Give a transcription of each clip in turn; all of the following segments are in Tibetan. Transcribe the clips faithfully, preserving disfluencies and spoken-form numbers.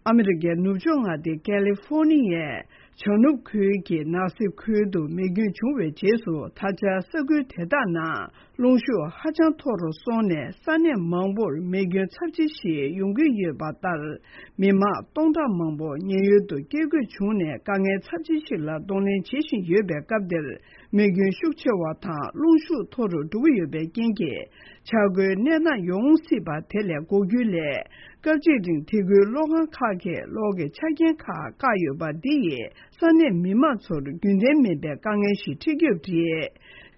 ཨ་མི་རི་ཀའི་ནུབ་ཕྱོགས་མངའ་སྡེ་ཀ་ལི་ཧྥོ་ནི་ཡའི་བྱང་ནུབ་ཁུལ་གྱི་ནག་སེབ་ཁུལ་དུ་མེ་སྐྱོན་བྱུང་བའི་རྗེས་སུ། ད་ཆ་ས་ཁུལ་དེ་དག་ནང་རླུང་ཤུགས་ཧ་ཅང་མཐོ་རུ་སོང་ནས། ས་གནས་མང་པོར་མེ་སྐྱོན་ཚབས་ཆེ་ཞིག་ཡོང་གི་ཡོད་པ་ལྟར། མི་མང་སྟོང་ཕྲག་མང་པོ་ཉེན་གཡོལ་དུ་བསྐྱོད་དགོས་བྱུང་ནས། དཀའ་ངལ་ཚབས་ཆེ་ཞིག་ལ་གདོང་ལེན་བྱེད་བཞིན་ཡོད་པའི་སྐབས་འདིར། མེ་སྐྱོན་ཤུགས་ཆེ་བ་དང་རླུང་ཤུགས་མཐོ་རུ་འགྲོ་གི་ཡོད་པའི་རྐྱེན་གྱིས། ཆག་སྒོའི་གནས་སྟངས་ཡོང་སྲིད་པ་དེ་ལས་འགོག་རྒྱུའི་སླད། སྐབས་གཅིག་རིང་དེ་ཁུལ་གློག་ཁང་ཁག་གི་གློག་གི་ཆ་རྐྱེན་ཁག་བཀག་ཡོད་པ་འདི་ཡིས། ས་གནས་མི་མང་ཚོར་རྒྱུན་ལྡན་མིན་པའི་དཀའ་ངལ་ཞིག་འཕྲད་ཀྱི་ཡོད་པ་རེད།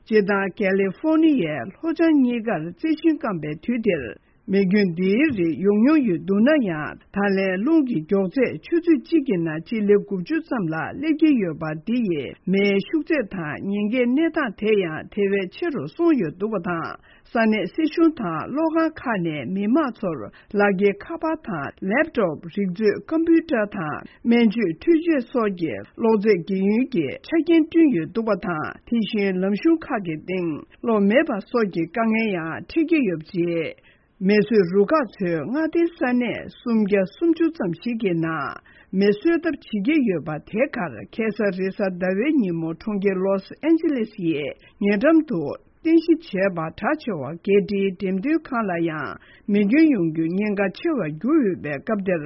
སྤྱིར་བཏང་ཀ་ལི་ཧྥོ་ནི་ཡའི་ལྷོ་བྱང་གཉིས་ཀར་རྩི་ཤིང་སྐམ་པའི་དུས་འདིར། མེ་སྐྱོན་འདིའི་རིགས་ཡོང་མྱོང་ཡོད་འདུག་ན་ཡང་། ད་ལན་རླུང་གི་མགྱོགས་ཚད་ཆུ་ཚོད་གཅིག་གི་ནང་སྤྱི་ལེ་དགུ་བཅུ་ཙམ་ལ་སླེབས་ཀྱི་ཡོད་པ་འདི་ཡིས། མེའི་ཤུགས་ཚད་དང་ཉེན་ཁའི་གནས་སྟངས་དེ་ཡང་དེ་བས་ཆེ་རུ་སོང་ཡོད་འདུག་པ་དང་། ས་གནས་སྲིད་གཞུང་དང་གློག་ཁང་ཁག་ནས་མི་མང་ཚོར་ལག་འཁྱེར་ཁ་པར་དང་ལེབ་ཊོབ། རིག་མཛོད་ཀམ་པུ་ཊར་དང་སྨན་བཅོས་འཕྲུལ་ཆས་སོགས་ཀྱི་གློག་རྫས་རྒྱག་ཡུལ་གྱི་ཆ་རྐྱེན་བསྐྲུན་ཡོད་འདུག་པ་དང་། དེ་བཞིན་ལམ་གཞུང་ཁག་གི་སྟེང་གློག་མེད་པ་སོགས་ཀྱི་དཀའ་ངལ་ཡང་འཕྲད་ཀྱི་ཡོད་པ་རེད། མེ་གསོད་རུ་ཁག་ཚོས་མངའ་སྡེའི་ས་གནས་སུམ་བརྒྱ་སུམ་ཅུ་ཙམ་ཞིག་གི་ནང་མེ་གསོད་ཐབས་བྱེད་ཀྱི་ཡོད་པ་དེ་གར། ཁ་སང་རེས་གཟའ་ཟླ་བའི་ཉིན་མོ་གྲོང་ཁྱེར་ལོས་ཨན་ཇི་ལེས་ཡི་ཉེ་འགྲམ་དུ་རྟེན་གཞི་བྱས་པ་གྲགས་ཆེ་བ་རྒྱལ་སྤྱིའི་འགྲེམས་སྟོན་ཁང་ལ་ཡང་མེ་སྐྱོན་ཡོང་རྒྱུའི་ཉེན་ཁ་ཆེ་བར་གྱུར་ཡོད་པའི་སྐབས་འདིར།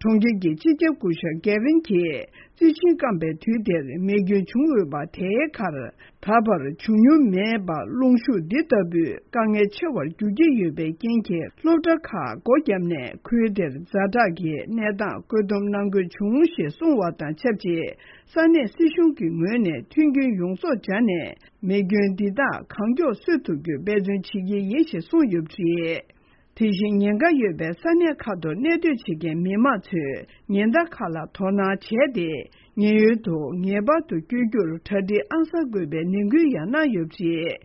གྲོང་ཁྱེར་གྱི་སྤྱི་ཁྱབ་སྐུ་ཞབས་གེ་ཝིན་གྱིས། རྩི་ཤིང་སྐམ་པའི་དུས་དེར་མེ་སྐྱོན་བྱུང་འོས་པ་དེའི་ཁར། ད་བར་བྱུང་མྱོང་མེད་པར་རླུང་ཤུགས་འདི་ལྟ་བུའི་དཀའ་ངལ་ཆེ་བར་འགྱུར་གྱི་ཡོད་པའི་རྐྱེན་གྱིས། སློབ་གྲྭ་ཁག་སྒོ་བརྒྱབ་ནས་ཁུལ་དེར་ཛ་དྲག་གི་གནས་སྟངས་བཀོད་འདོམས་གནང་དགོས་བྱུང་ཞེས་གསུངས་བ་དང་ཆབས་ཅིག་ས་གནས་སྲིད་གཞུང་གི་ངོས་ནས་མཐུན་རྐྱེན་ཡོངས་རྫོགས་སྦྱར་ནས། མེ་སྐྱོན་འདི་དག་གང་མགྱོགས་གསོད་ཐུབ་རྒྱུའི་འབད་བརྩོན་བྱེད་ཀྱི་ཡིན་ཞེས་གསུངས་ཡོད་པ་རེད། དེ་བཞིན་ཉེན་ཁ་ཡོད་པའི་ས་གནས་ཁག་ཏུ་གནས་སྡོད་བྱེད་མཁན་མི་མང་ཚོས་ཉེན་བརྡ་ཁག་ལ་དོ་སྣང་བྱས་ཏེ། ཉེན་གཡོལ་དུ་ངེས་པར་དུ་བསྐྱོད་རྒྱུར་གྲ་སྒྲིག་ཨང་གསར་དགོས་པའི་ནན་སྐུལ་ཡང་གནང་ཡོད་པ་རེད།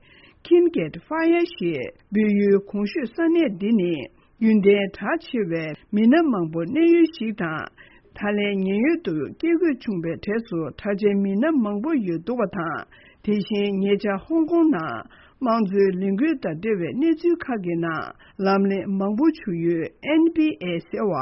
ཁིན་གེད་ཧྥ་ཡ་ཞེས་འབོད་ཡུལ་གོང་ཞུས་ས་གནས་འདི་ནི་རྒྱུན་ལྡན་གྲགས་ཆེ་བའི་མི་སྣ་མང་པོ་གནས་ཡུལ་ཞིག་དང་། ད་ལན་ཉེན་གཡོལ་དུ་སྐྱེལ་དགོས་བྱུང་བའི་གྲས་སུ་གྲགས་ཅན་མི་སྣ་མང་པོ་ཡོད་འདུག་པ་དང་། དེ་བཞིན་ཉེ་ཆར་ཧོང་ཀོང་ནང་དམངས་གཙོའི་ལས་འགུལ་དང་འབྲེལ་བའི་གནས་ཚུལ་ཁག་གི་ནང་ལམ་ལྷན་མང་པོ་བྱུང་ཡུལ་ཨེན་བྷི་ཨེ་ཟེར་བ།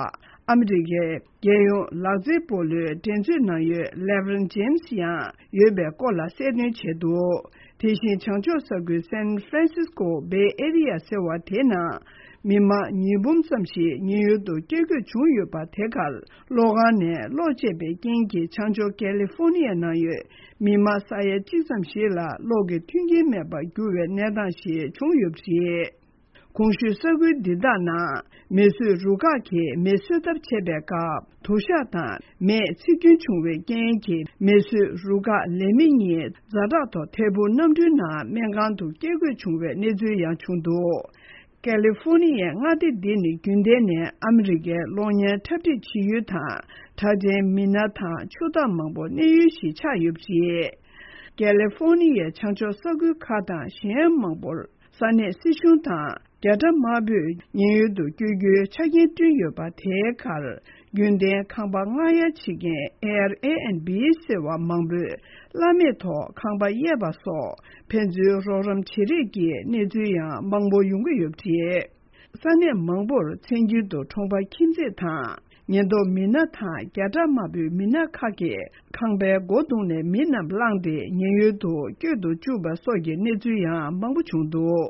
ཨ་མི་རི་ཀའི་རྒྱལ་ཡོངས་ལག་རྩལ་སྤོ་ལོའི་འགྲན་རྩོད་ནང་ཡོད་ལེབ་རོན་ཇེམ་སི་ཡང་ཡོད་པའི་སྐོར་ལ་གསལ་སྟོན་བྱས་འདུག་དེ་བཞིན་བྱང་ཕྱོགས་ས་ཁུལ་སན་ཧྥ་རན་སིས་ཀོ་བེ་ཨེ་རི་ཡ་ཟེར་བ་དེའི་ནང་མི་མང་ཉིས་འབུམ་ཙམ་ཞིག་ཉེན་གཡོལ་དུ་སྐྱེལ་དགོས་བྱུང་ཡོད་པ། དེ་གར་གློག་ཁང་ནས་གློག་ཆད་པའི་རྐྱེན་གྱིས་བྱང་ཕྱོགས་ཀེ་ལི་ཧྥོ་ནི་ཡ་ནང་ཡོད་མི་མང་ས་ཡ་གཅིག་ཙམ་ཞིག་ལ་གློག་གི་མཐུན་རྐྱེན་མེད་པར་གྱུར་བའི་གནས་སྟངས་ཤིག་བྱུང་ཡོད་པ་རེད། གོང་ཞུས་ས་ཁུལ་འདི་དག་ནང་མེ་གསོད་རུ་ཁག་གིས་མེ་གསོད་ཐབས་བྱེད་པའི་སྐབས། དུ་ཞག་དང་མེས་འཚིག་སྐྱོན་བྱུང་བའི་རྐྱེན་གྱིས། མེ་གསོད་རུ་ཁག་ལས་མི་གཉིས་ཛ་དྲག་ཐོག་ཐད་འཕུར་གནམ་གྲུའི་ནང་སྨན་ཁང་དུ་སྐྱེལ་དགོས་བྱུང་བའི་གནས་ཚུལ་ཡང་བྱུང་འདུག་ཀ་ལི་ཧྥོ་ནི་ཡའི་མངའ་སྡེ་འདི་ནི་རྒྱུན་ལྡན་ནས་ཨ་མི་རི་ཀའི་གློག་བརྙན་འཁྲབ་ཁྲིད་བྱེད་ཡུལ་དང་། གྲགས་ཅན་མི་སྣ་དང་ཕྱུག་བདག་མང་པོ་གནས་ཡུལ་ཞིག་ཆགས་ཡོད་པ་རེད། ཀ་ལི་ཧྥོ་ནི་ཡའི་བྱང་ཕྱོགས་ས་ཁུལ་ཁག་དང་གཞན་མང་པོར། ས་གནས་སྲིད་གཞུང་དང་རྒྱ་གྲམ་དམར་པོས་ཉེན་གཡོལ་དུ་བསྐྱོད་རྒྱུའི་ཆ་རྐྱེན་བསྐྲུན་ཡོད་པ། དེའི་ཁར་རྒྱུན་ལྡན་ཁང་པ་ངང་གཡར་བྱེད་མཁན་ཨེར་ཨེ་ཨེན་བྷི་ཟེར་བ་མང་པོས་གླ་མེད་ཐོག་ཁང་པ་གཡར་བ་སོགས་ཕན་ཚུན་རོགས་རམ་བྱེད་རེས་ཀྱི་གནས་ཚུལ་ཡང་མང་པོ་ཡོང་གི་ཡོད་པ་རེད། ས་གནས་མང་པོར་མཚན་རྒྱུན་དུ་གྲོང་པ་ཁྱིམ་མཚེས་དང་ཉེན་རྟོག་མི་སྣ་དང་རྒྱ་གྲམ་དམར་པོའི་མི་སྣ་ཁག་གིས་ཁང་པའི་སྒོ་བརྡུངས་ནས་མི་རྣམས་བླངས་ཏེ་ཉེན་གཡོལ་དུ་བསྐྱོད་དུ་བཅུག་པ་སོགས་ཀྱི་གནས་ཚུལ་ཡང་མང་པོ་བྱུང་འདུག